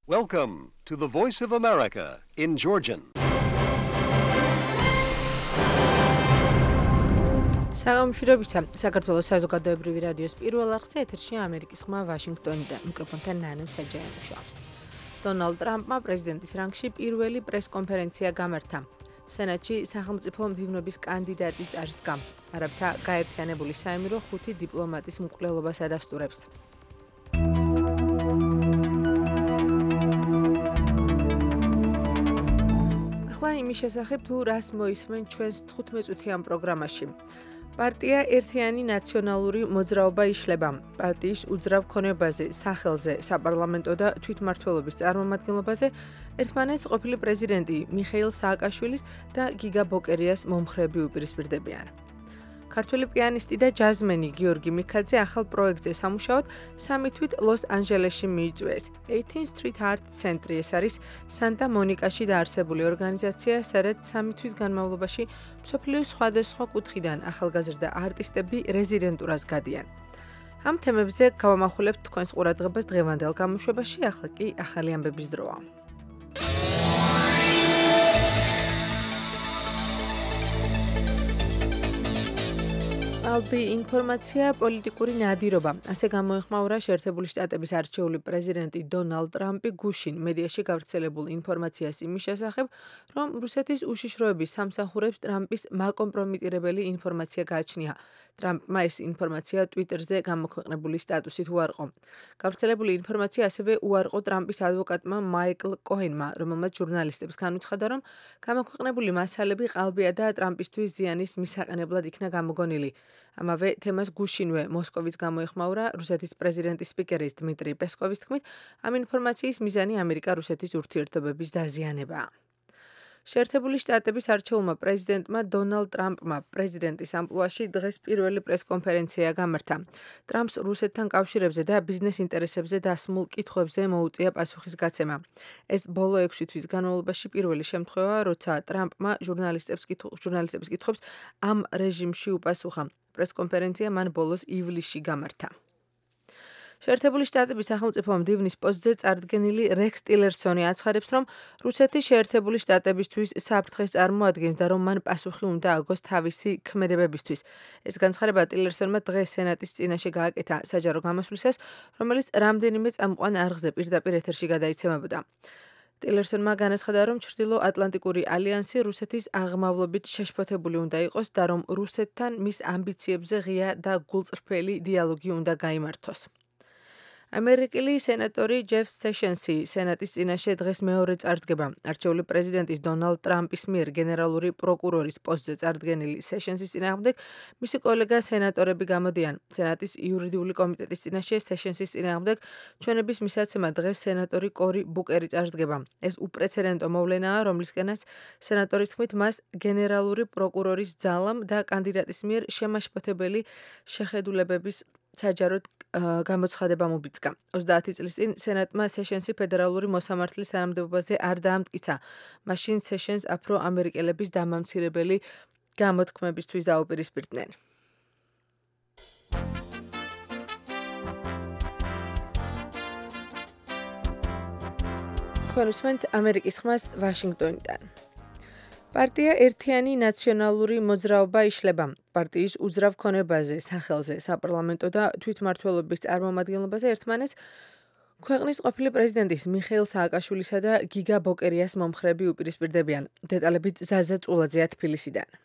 Welcome to the Voice of America in Georgian. საღამოშრობისა საქართველოს საზოგადოებრივი რადიოს პირველ არხზე ეთერშია ამერიკის ხმა ვაშინგტონიდან. მიკროფონთან ნანა საჯაიანოშა. დონალდ ტრამპმა პრეზიდენტის რანგში პირველი პრესკონფერენცია გამართა. სენატში სახელმწიფო მდივნობის კანდიდატი წარსდგა. არაბთა გაერთიანებული საამირო 5 დიპლომატის მკვლელობას ადასტურებს. ახლა იმის შესახებ თუ რას მოისმენ ჩვენს 15-წუთიან პროგრამაში. პარტია ერთიანი ნაციონალური მოძრაობა იშლება. პარტიის უძრავ ქონებაზე, სახელზე, საპარლამენტო და თვითმმართველობის წარმომადგენლობაზე ერთმანეთს ყოფილი პრეზიდენტი მიხეილ სააკაშვილის და გიგა ბოკერიას მომხრეები უპირისპირდებიან. ქართველი პიანისტი და ჯაზმენი გიორგი მიქაძე ახალ პროექტზე სამუშაოდ სამი თვით ლოს-ანჯელესში მიიწვიეს. 18 Street Art ცენტრი ეს არის სანტა მონიკაში დაარსებული ორგანიზაცია, სადაც სამი თვის განმავლობაში მსოფლიოს სხვადასხვა კუთხიდან ახალგაზრდა არტისტები რეზიდენტურას გადიან. ამ თემებზე გავამახვილებთ თქვენს ყურადღებას დღევანდელ გამოშვებაში, ახლა კი ახალი ამბების დროა. ალბი ინფორმაცია პოლიტიკური ნადირობა. ასე გამოეხმაურა შეერთებული შტატების არჩეული პრეზიდენტი დონალდ ტრამპი გუშინ მედიაში გავრცელებულ ინფორმაციას იმის შესახებ, რომ რუსეთის უშიშროების სამსახურებს ტრამპის მაკომპრომიტირებელი ინფორმაცია გააჩნია. ტრამპმა ეს ინფორმაცია ტვიტერზე გამოქვეყნებული სტატუსით უარყო. გავრცელებული ინფორმაცია ასევე უარყო ტრამპის ადვოკატმა მაიკლ კოენმა, რომელმაც ჟურნალისტებს განუცხადა, რომ გამოქვეყნებული მასალები ყალბია და ტრამპისთვის ზიანის მისაყენებლად იქნა გამოგონილი. ამავე თემას გუშინვე მოსკოვის გამოეხმაურა რუსეთის პრეზიდენტის სპიკერის დმიტრი პესკოვის თქმით, ამ ინფორმაციის მიზანი ამერიკა-რუსეთის ურთიერთობების დაზიანებაა. შეერთებული შტატების არჩეულმა პრეზიდენტმა დონალდ ტრამპმა პრეზიდენტის ამპლუაში დღეს პირველი პრესკონფერენცია გამართა. ტრამპს რუსეთთან კავშირებზე და ბიზნეს ინტერესებზე დასმულ კითხვებზე მოუწია პასუხის გაცემა. ეს ბოლო 6 თვის განმავლობაში პირველი შემთხვევაა, როცა ტრამპმა ჟურნალისტებს კითხვებს ამ რეჟიმში უპასუხა. პრესკონფერენცია მან ბოლოს ივლისში გამართა. შეერთებული შტატების სახელმწიფო მდივნის პოსტზე წარდგენილი რექს ტილერსონი აცხადებს, რომ რუსეთი შეერთებული შტატებისთვის საფრთხეს წარმოადგენს და რომ მან პასუხი უნდა აგოს თავისი ქმედებებისთვის. ეს განცხადება ტილერსონმა დღეს სენატის წინაშე გააკეთა საჯარო გამოსვლისას, რომელიც რამდენიმე წამყვან არხზე პირდაპირ ეთერში გადაიცემებოდა. ტილერსონმა განაცხადა, რომ ჩრდილო-ატლანტიკური ალიანსი რუსეთის აღმავლობით შეშფოთებული უნდა იყოს და რომ რუსეთთან მის ამბიციებზე ღია და გულწრფელი დიალოგი უნდა გაიმართოს. ამერიკელი სენატორი ჯეფ სეშენსი სენატის წინაშე დღეს მეორე წარდგება. არჩეული პრეზიდენტის დონალდ ტრამპის მიერ გენერალური პროკურორის პოსტზე წარდგენილი სეშენსის წინააღმდეგ მისი კოლეგა სენატორები გამოდიან. სენატის იურიდიული კომიტეტის წინაშე სეშენსის წინააღმდეგ ჩვენების მისაცემად დღეს სენატორი კორი ბუკერი წარდგება. ეს უპრეცედენტო მოვლენაა, რომლისკენაც სენატორის თქმით მას გენერალური პროკურორის ძალამ და კანდიდატის მიერ შემაშფოთებელი შეხედულებების საჯაროდ გამოცხადება მობიძგა. 30 წლის წინ სენატმა სეშენსი ფედერალური მოსამართლის თანამდებობაზე არ დაამტკიცა. მაშინ სეშენს აფრო-ამერიკელების დამამცირებელი გამოთქმებისთვის დაუპირისპირდნენ. თქვენ უსმენთ ამერიკის ხმას ვაშინგტონიდან. პარტია ერთიანი ნაციონალური მოძრაობა იშლება. პარტიის უძრავ ქონებაზე, სახელზე, საპარლამენტო და თვითმმართველობის წარმომადგენლობაზე ერთმანეთს ქვეყნის ყოფილი პრეზიდენტის მიხეილ სააკაშვილისა და გიგა ბოკერიას მომხრეები უპირისპირდებიან. დეტალებით ზაზა წულაძეა თბილისიდან.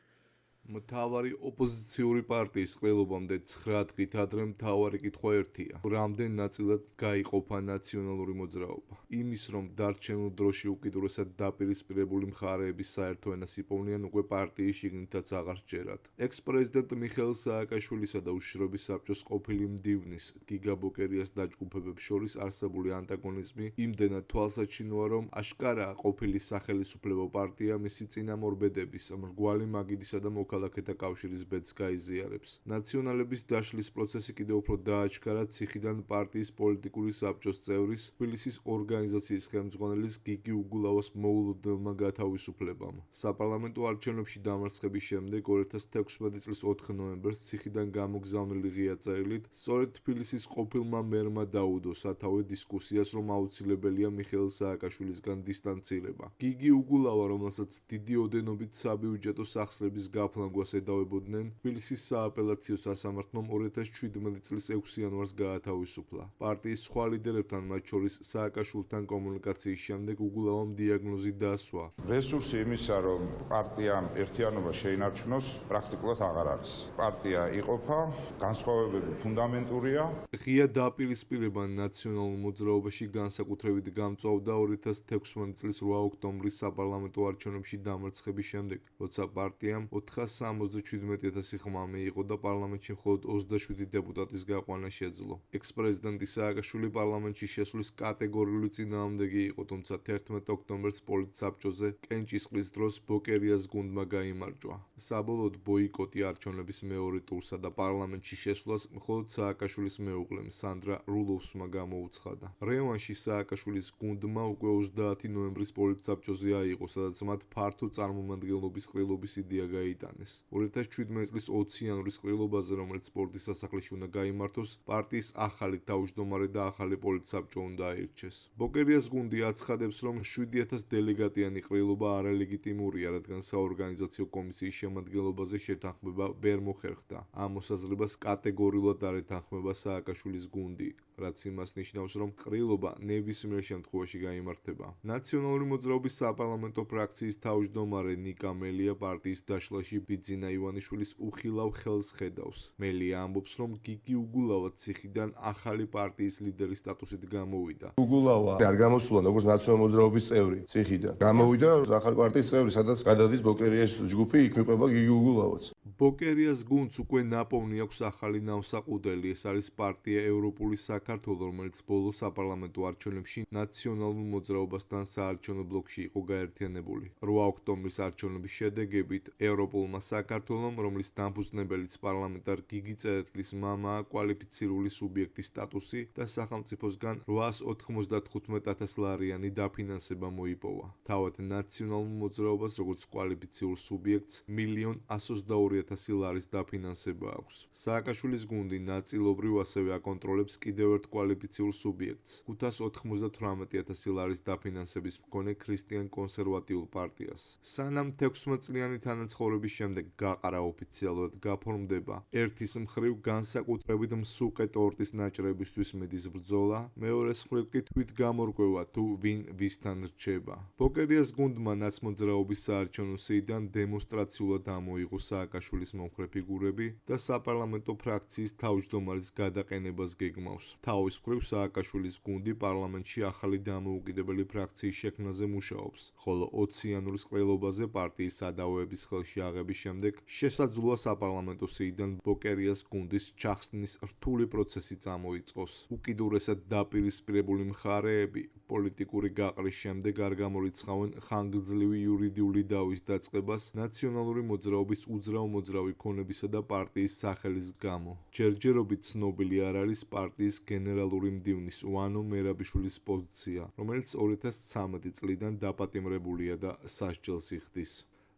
მთავარი ოპოზიციური პარტიის ყრილობამდე 9 დღით ადრე მთავარი კითხვა ერთია: რამდენ ნაწილად გაიყოფა ნაციონალური მოძრაობა? იმის, რომ დარჩენილ დროში უკიდურესად დაპირისპირებული მხარეების საერთო ენას იპოვნიან, უკვე პარტიის შიგნითაც აღარ სჯერათ. ექს-პრეზიდენტ მიხეილ სააკაშვილისა და უშიშროების საბჭოს ყოფილი მდივნის გიგა ბოკერიას დაჯგუფებებს შორის არსებული ანტაგონიზმი იმდენად თვალსაჩინოა, რომ აშკარაა ყოფილი სახელისუფლებო პარტია მისი წინამორბედების, მრგვალი მაგიდისა და მოქალაქეების მოქალაქეთა კავშირის ბედს გაიზიარებს. ნაციონალების დაშლის პროცესი კიდევ უფრო დააჩქარა ციხიდან პარტიის პოლიტიკური საბჭოს წევრის, თბილისის ორგანიზაციის ხელმძღვანელის გიგი უგულავას მოულოდნელმა გათავისუფლებამ. საპარლამენტო არჩევნებში დამარცხების შემდეგ 2016 წლის 4 ნოემბერს ციხიდან გამოგზავნილი ღია წერილით სწორედ თბილისის ყოფილმა მერმა დაუდო სათავე დისკუსიას, რომ აუცილებელია მიხეილ სააკაშვილისგან დისტანცირება. გიგი უგულავა, რომელსაც დიდი ოდენობით საბიუჯეტო სახსრების გაფლანგვას ედავებოდნენ, თბილისის სააპელაციო სასამართლომ 2017 წლის 6 იანვარს გაათავისუფლა. პარტიის სხვა ლიდერებთან, მათ შორის სააკაშვილთან კომუნიკაციის შემდეგ უგულავამ დიაგნოზი დაასვა. რესურსი იმისა, რომ პარტიამ ერთიანობა შეინარჩუნოს, პრაქტიკულად აღარ არის. პარტია იყოფა, განსხვავებები ფუნდამენტურია. ღია დაპირისპირება ნაციონალურ მოძრაობაში განსაკუთრებით გამწვავდა 2016 წლის 8 ოქტომბრის საპარლამენტო არჩევნებში დამარცხების შემდეგ, როცა პარტიამ 467,000 ხმა მიიღო და პარლამენტში მხოლოდ 27 დეპუტატის გაყვანა შეძლო. ექს-პრეზიდენტი სააკაშვილი პარლამენტში შესვლის კატეგორიული წინააღმდეგი იყო, თუმცა 11 ოქტომბერს პოლიტსაბჭოზე კენჭისყრის დროს ბოკერიას გუნდმა გაიმარჯვა. საბოლოოდ ბოიკოტი არჩევნების მეორე ტურსა და პარლამენტში შესვლას მხოლოდ სააკაშვილის მეუღლემ სანდრა რულოვსმა გამოუცხადა. რევანში სააკაშვილის გუნდმა უკვე 30 ნოემბრის პოლიტსაბჭოზე აიღო, სადაც მათ ფართო წარმომადგენლობის ყრილობის იდეა გაიტანეს. 2017 წლის 20 იანვრის ყრილობაზე, რომელიც სპორტის სასახლეში უნდა გაიმართოს, პარტიის ახალი თავმჯდომარე და ახალი პოლიტსაბჭო უნდა აირჩეს. ბოკერიას გუნდი აცხადებს, რომ 7000 დელეგატიანი ყრილობა არალეგიტიმურია, რადგან საორგანიზაციო კომისიის შემადგენლობაზე შეთანხმება ვერ მოხერხდა. ამ მოსაზრებას კატეგორიულად არ ეთანხმება სააკაშვილის გუნდი, რაც იმას ნიშნავს, რომ ყრილობა ნებისმიერ შემთხვევაში გაიმართება. ნაციონალური მოძრაობის საპარლამენტო ფრაქციის თავმჯდომარე ნიკა მელია პარტიის დაშლაში ბიძინა ივანიშვილის უხილავ ხელს ხედავს. მელია ამბობს, რომ გიგი უგულავა ციხიდან ახალი პარტიის ლიდერის სტატუსით გამოვიდა. უგულავა არ გამოსულა როგორც ნაციონალური მოძრაობის წევრი ციხიდან. გამოვიდა ახალი პარტიის წევრი, სადაც გადადის ბოკერიას ჯგუფი, იქ მიყვება გიგი უგულავაც. ბოკერიას გუნდს უკვე ნაპოვნი აქვს ახალი ნავსაყუდელი. ეს არის პარტია ევროპული საქართველო, რომელიც ბოლო საპარლამენტო არჩევნებში ნაციონალურ მოძრაობასთან საარჩევნო ბლოკში იყო გაერთიანებული. 8 ოქტომბრის არჩევნების შედეგებით ევროპულმა საქართველომ, რომლის დამფუძნებელიც პარლამენტარ გიგი წერეთლის მამაა, კვალიფიცირებული სუბიექტის სტატუსი და სახელმწიფოსგან 895,000 ლარიანი დაფინანსება მოიპოვა. თავად ნაციონალურ მოძრაობას, როგორც კვალიფიციურ სუბიექტს, 1,122,000 ლარის დაფინანსება აქვს. სააკაშვილის გუნდი ნაწილობრივ ასევე აკონტროლებს კიდევ ერთ კვალიფიციურ სუბიექტს, 598,000 ლარის დაფინანსების მქონე ქრისტიან კონსერვატიულ პარტიას. სანამ 16 წლიანი თანაცხოვრების შემდეგ გაყარა ოფიციალურად გაფორმდება ერთის მხრივ განსაკუთრებით მსუყე ტორტის ნაჭრებისთვის მიდის ბრძოლა, მეორეს მხრივ კი თვით გამორკვევა თუ ვინ ვისთან რჩება. ბოკერიას გუნდმა ნაცმოძრაობის საარჩევნო სიიდან დემონსტრაციულად ამოიღო სააკაშვილის მომხრე ფიგურები და საპარლამენტო ფრაქციის თავმჯდომარის გადაყენებას გეგმავს. თავის მხრივ სააკაშვილის გუნდი პარლამენტში ახალი დამოუკიდებელი ფრაქციის შექმნაზე მუშაობს, ხოლო 20 იანვრის ყრილობაზე პარტიის სადავოების ხელში აღების შემდეგ შესაძლოა საპარლამენტო სიიდან ბოკერიას გუნდის ჩახსნის რთული პროცესი წამოიწყოს. უკიდურესად დაპირისპირებული მხარეები პოლიტიკური გაყრის შემდეგ არ გამორიცხავენ ხანგრძლივი იურიდიული დავის დაწყებას ნაციონალური მოძრაობის უძრავ მოძრავი ქონებისა და პარტიის სახელის გამო. ჯერჯერობით ცნობილი არ არის პარტიის გენერალური მდივნის ვანო მერაბიშვილის პოზიცია, რომელიც 2013 წლიდან დაპატიმრებულია და სასჯელს იხდის.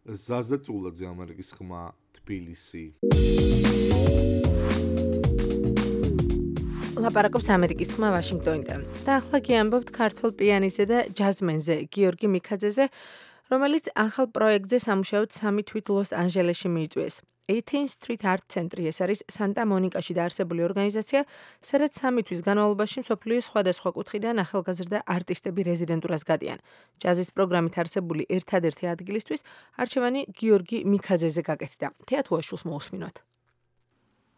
ზაზა წულაძე, ამერიკის ხმა, თბილისი. ლაპარაკობს ამერიკის ხმა ვაშინგტონიდან. და ახლა გიამბობთ ქართულ პიანისტზე და ჯაზმენზე გიორგი მიქაძეზე, რომელიც ახალ პროექტზე სამუშაოდ 3 თვით ლოს-ანჯელესში მიიწვიეს. 18th Street Art Center ეს არის სანტა-მონიკაში დაარსებული ორგანიზაცია, სადაც 3 თვის განმავლობაში მსოფლიოს სხვადასხვა კუთხიდან ახალგაზრდა არტისტები რეზიდენტურას გადიან. ჯაზის პროგრამით არსებული ერთადერთი ადგილისთვის არჩევანი გიორგი მიქაძეზე გაკეთდა. თეატუაშვილს მოусმინოთ.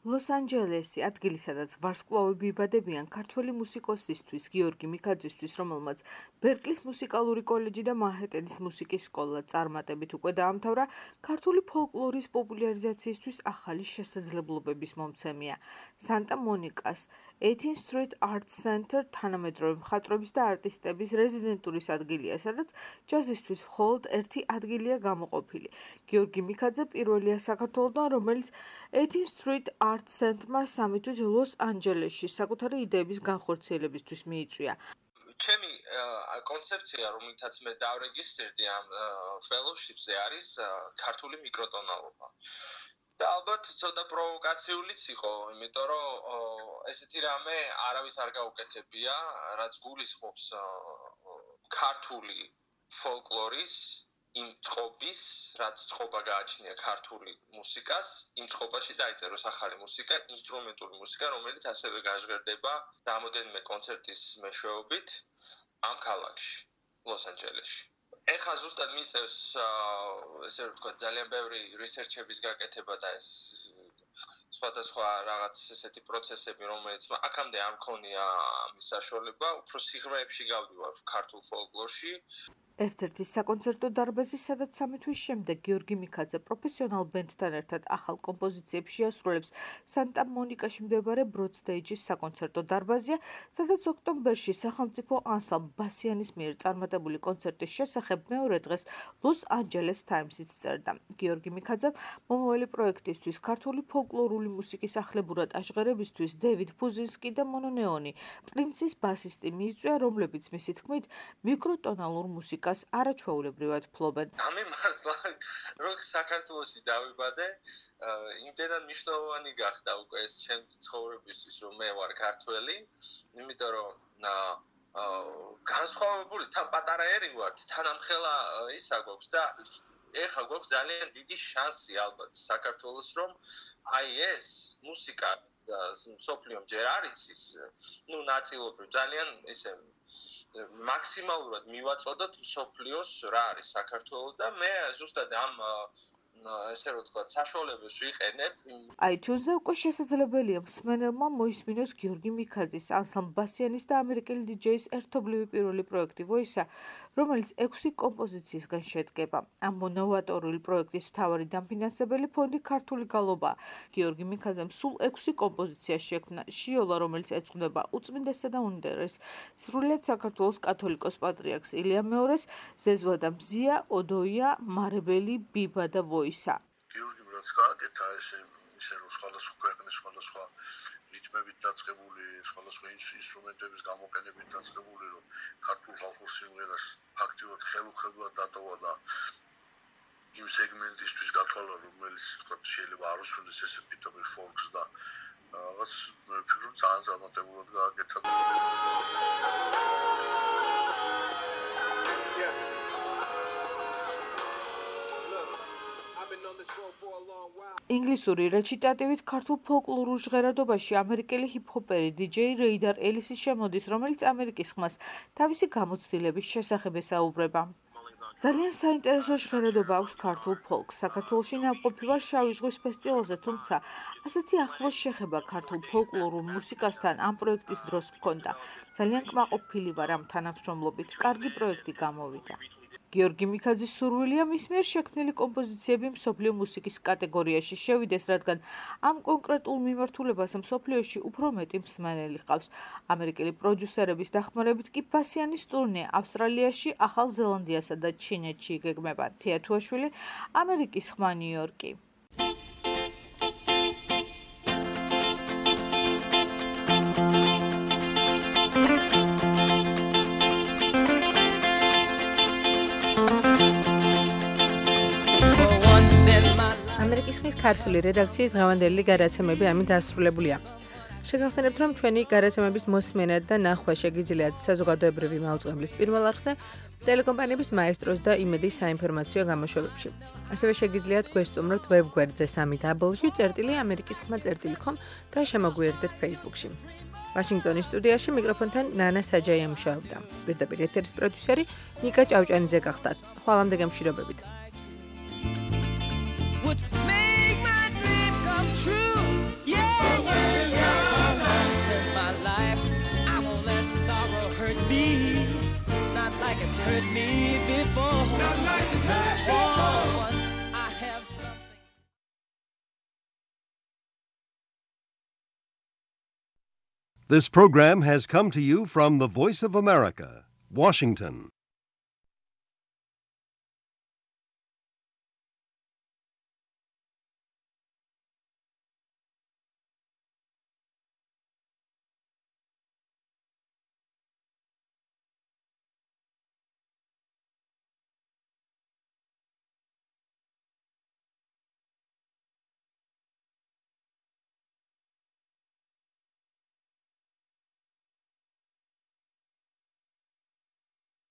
ლოს-ანჯელესი, ადგილი, სადაც ვარსკვლავები იბადებიან ქართველი მუსიკოსისთვის გიორგი მიქაძისთვის, რომელმაც ბერკლის მუსიკალური კოლეჯი და მანჰეტენის მუსიკის სკოლა წარმატებით უკვე დაამთავრა, ქართული ფოლკლორის პოპულარიზაციისთვის ახალი შესაძლებლობების მომცემია. სანტა-მონიკას 18th Street Arts Center თანამედროვე მხატვრების და არტისტების რეზიდენტურის ადგილია, სადაც ჯაზისთვის მხოლოდ ერთი ადგილია გამოყოფილი. გიორგი მიქაძე პირველია საქართველოდან, რომელიც 18th Street Arts Center-მა სამი თვით ლოს-ანჯელესში საკუთარი იდეების განხორციელებისთვის მიიწვია. ჩემი კონცეფცია, რომელთაც მე დავრეგისტრირდი ამ fellowship-ზე არის ქართული მიკროტონალობა. და ალბათ ცოტა პროვოკაციულიც იყო, იმიტომ რომ ესეთი რამე არავის არ გაუკეთებია, რაც გულისხმობს ქართული ფოლკლორის იმ წყობის, რაც წყობა გააჩნია ქართული მუსიკას, იმ წყობაში დაიწეროს ახალი მუსიკა, ინსტრუმენტული მუსიკა, რომელიც ასევე გაჟღერდება რამოდენიმე კონცერტის მეშვეობით ამ ქალაქში, ლოს-ანჯელესში. ეხლა ზუსტად მიწევს ესე ვთქვათ ძალიან ბევრი რისერჩების გაკეთება და ეს სხვადასხვა რაღაც ესეთი პროცესები, რომელიც აქამდე არ მქონია ამის საშუალება, უფრო სიღრმეებში გავდივარ ქართულ ფოლკლორში. ერთ-ერთი საკონცერტო დარბაზი, სადაც სამი თვის შემდეგ გიორგი მიქაძე პროფესიონალ ბენდთან ერთად ახალ კომპოზიციებს შეასრულებს სანტა-მონიკაში მდებარე ბროდსტეიჯის საკონცერტო დარბაზია, სადაც ოქტომბერში სახელმწიფო ანსამბლ ბასიანის მიერ წარმატებული კონცერტის შესახებ მეორე დღეს ლოს-ანჯელეს ტაიმსიც წერდა. გიორგი მიქაძემ მომავალი პროექტისთვის ქართული ფოლკლორული მუსიკის ახლებურად აჟღერებისთვის დევიდ ფუზინსკი და მონო ნეონი, პრინცის ბასისტი მიიწვია, რომლებიც მისი თქმით მიკროტონალურ მუსიკას არაჩვეულებრივად ფლობენ. ამი მართლა რომ საქართველოში დავიბადე, იმდენად მნიშვნელოვანი გახდა უკვე ეს ჩემი ცხოვრებისთვის, რომ მე ვარ ქართველი, იმიტომ რომ განსხვავებული თან პატარა ერი ვარ, თანამხელა ისა გვაქვს და ეხლა გვაქვს ძალიან დიდი შანსი ალბათ საქართველოს, რომ აი ეს მუსიკა მსოფლიომ ჯერ არ იცის, ნაწილობრივ ძალიან ისე მაქსიმალურად მივაწოდოთ მსოფლიოს რა არის საქართველო და მე ზუსტად ამ ესე რომ ვთქვათ, საშუალებას ვიყენებ. iTunes-ზე უკვე შესაძლებელია მსმენელმა მოისმინოს გიორგი მიქაძის, ანსამბლ ბასიანის და ამერიკელი დიჯეის ერთობლივი პირველი პროექტი ვოისა, რომელიც 6 კომპოზიციისგან შედგება. ამ მონოვატორული პროექტის მთავარი დამფინანსებელი ფონდი ქართული გალობაა. გიორგი მიქაძემ სულ 6 კომპოზიცია შექმნა. შიოლა, რომელიც ეძღვნება უწმინდესსა და უნდერეს, სრულიად საქართველოს კათოლიკოს პატრიარქს ილია მეორეს, ზეზვა და მზია, ოდოია, მარებელი, ბიბა და ვოისა. გიორგიმ რაც გააკეთა ესე რომ სხვადასხვა ქვეყნის სხვადასხვა რიტმებით დაწყებული, სხვადასხვა ინსტრუმენტების გამოყენებით დაწყებული, რომ ქართულ ხალხურ სიმღერას ფაქტიურად ხელუხლებლად დატოვა და იმ სეგმენტისთვის გათვალა, რომელიც თქვათ შეიძლება არ უსვენდეს ესე პიტომერ ფოლკს და რაღაც მე ვფიქრობ ძალიან წარმატებულად გააკეთა. ინგლისური რეჩიტატივით ქართულ ფოლკლორულ ჟღერადობაში ამერიკელი ჰიპ-ჰოპერი დიჯეი რეიდარ ელისი შემოდის, რომელიც ამერიკის ხმას თავისი გამოცდილების შესახებ ესაუბრება. ძალიან საინტერესო ჟღერადობა აქვს ქართულ ფოლკს. საქართველოში ნამყოფი ვარ შავი ზღვის ფესტივალზე, თუმცა ასეთი ახლოს შეხება ქართულ ფოლკლორულ მუსიკასთან ამ პროექტის დროს მქონდა. ძალიან კმაყოფილი ვარ ამ თანამშრომლობით. კარგი პროექტი გამოვიდა. გიორგი მიქაძის სურვილია მის მიერ შექმნილი კომპოზიციები მსოფლიო მუსიკის კატეგორიაში შევიდეს, რადგან ამ კონკრეტულ მიმართულებას მსოფლიოში უფრო მეტი მსმენელი ჰყავს. ამერიკელი პროდიუსერების დახმარებით კი ბასიანის ტურნე ავსტრალიაში, ახალ ზელანდიასა და ჩინეთში იგეგმება. თია თუაშვილი, ამერიკის ხმა, ნიუ-იორკი. ამერიკის ხმის ქართული რედაქციის დღევანდელი გადაცემები ამით დასრულებულია. შეგახსენებთ, რომ ჩვენი გადაცემების მოსმენა და ნახვა შეგიძლიათ საზოგადოებრივი მაუწყებლის პირველ არხზე, ტელეკომპანიების მაესტროს და იმედის საინფორმაციო გამოშვებებში. ასევე შეგიძლიათ გვესტუმროთ ვებგვერდზე www.amerikiskhma.com და შემოგვიერთდეთ Facebook-ში. ვაშინგტონის სტუდიაში მიკროფონთან ნანა საჯაია მუშაობდა. პირდაპირ ეთერის პროდიუსერი ნიკა ჭავჭანიძე გახდათ. ხვალამდე გემშვიდობებით. True, yeah, once in my life, I won't let sorrow hurt me, not like it's hurt me before. Not like it's hurt before. Once I have something. This program has come to you from the Voice of America, Washington.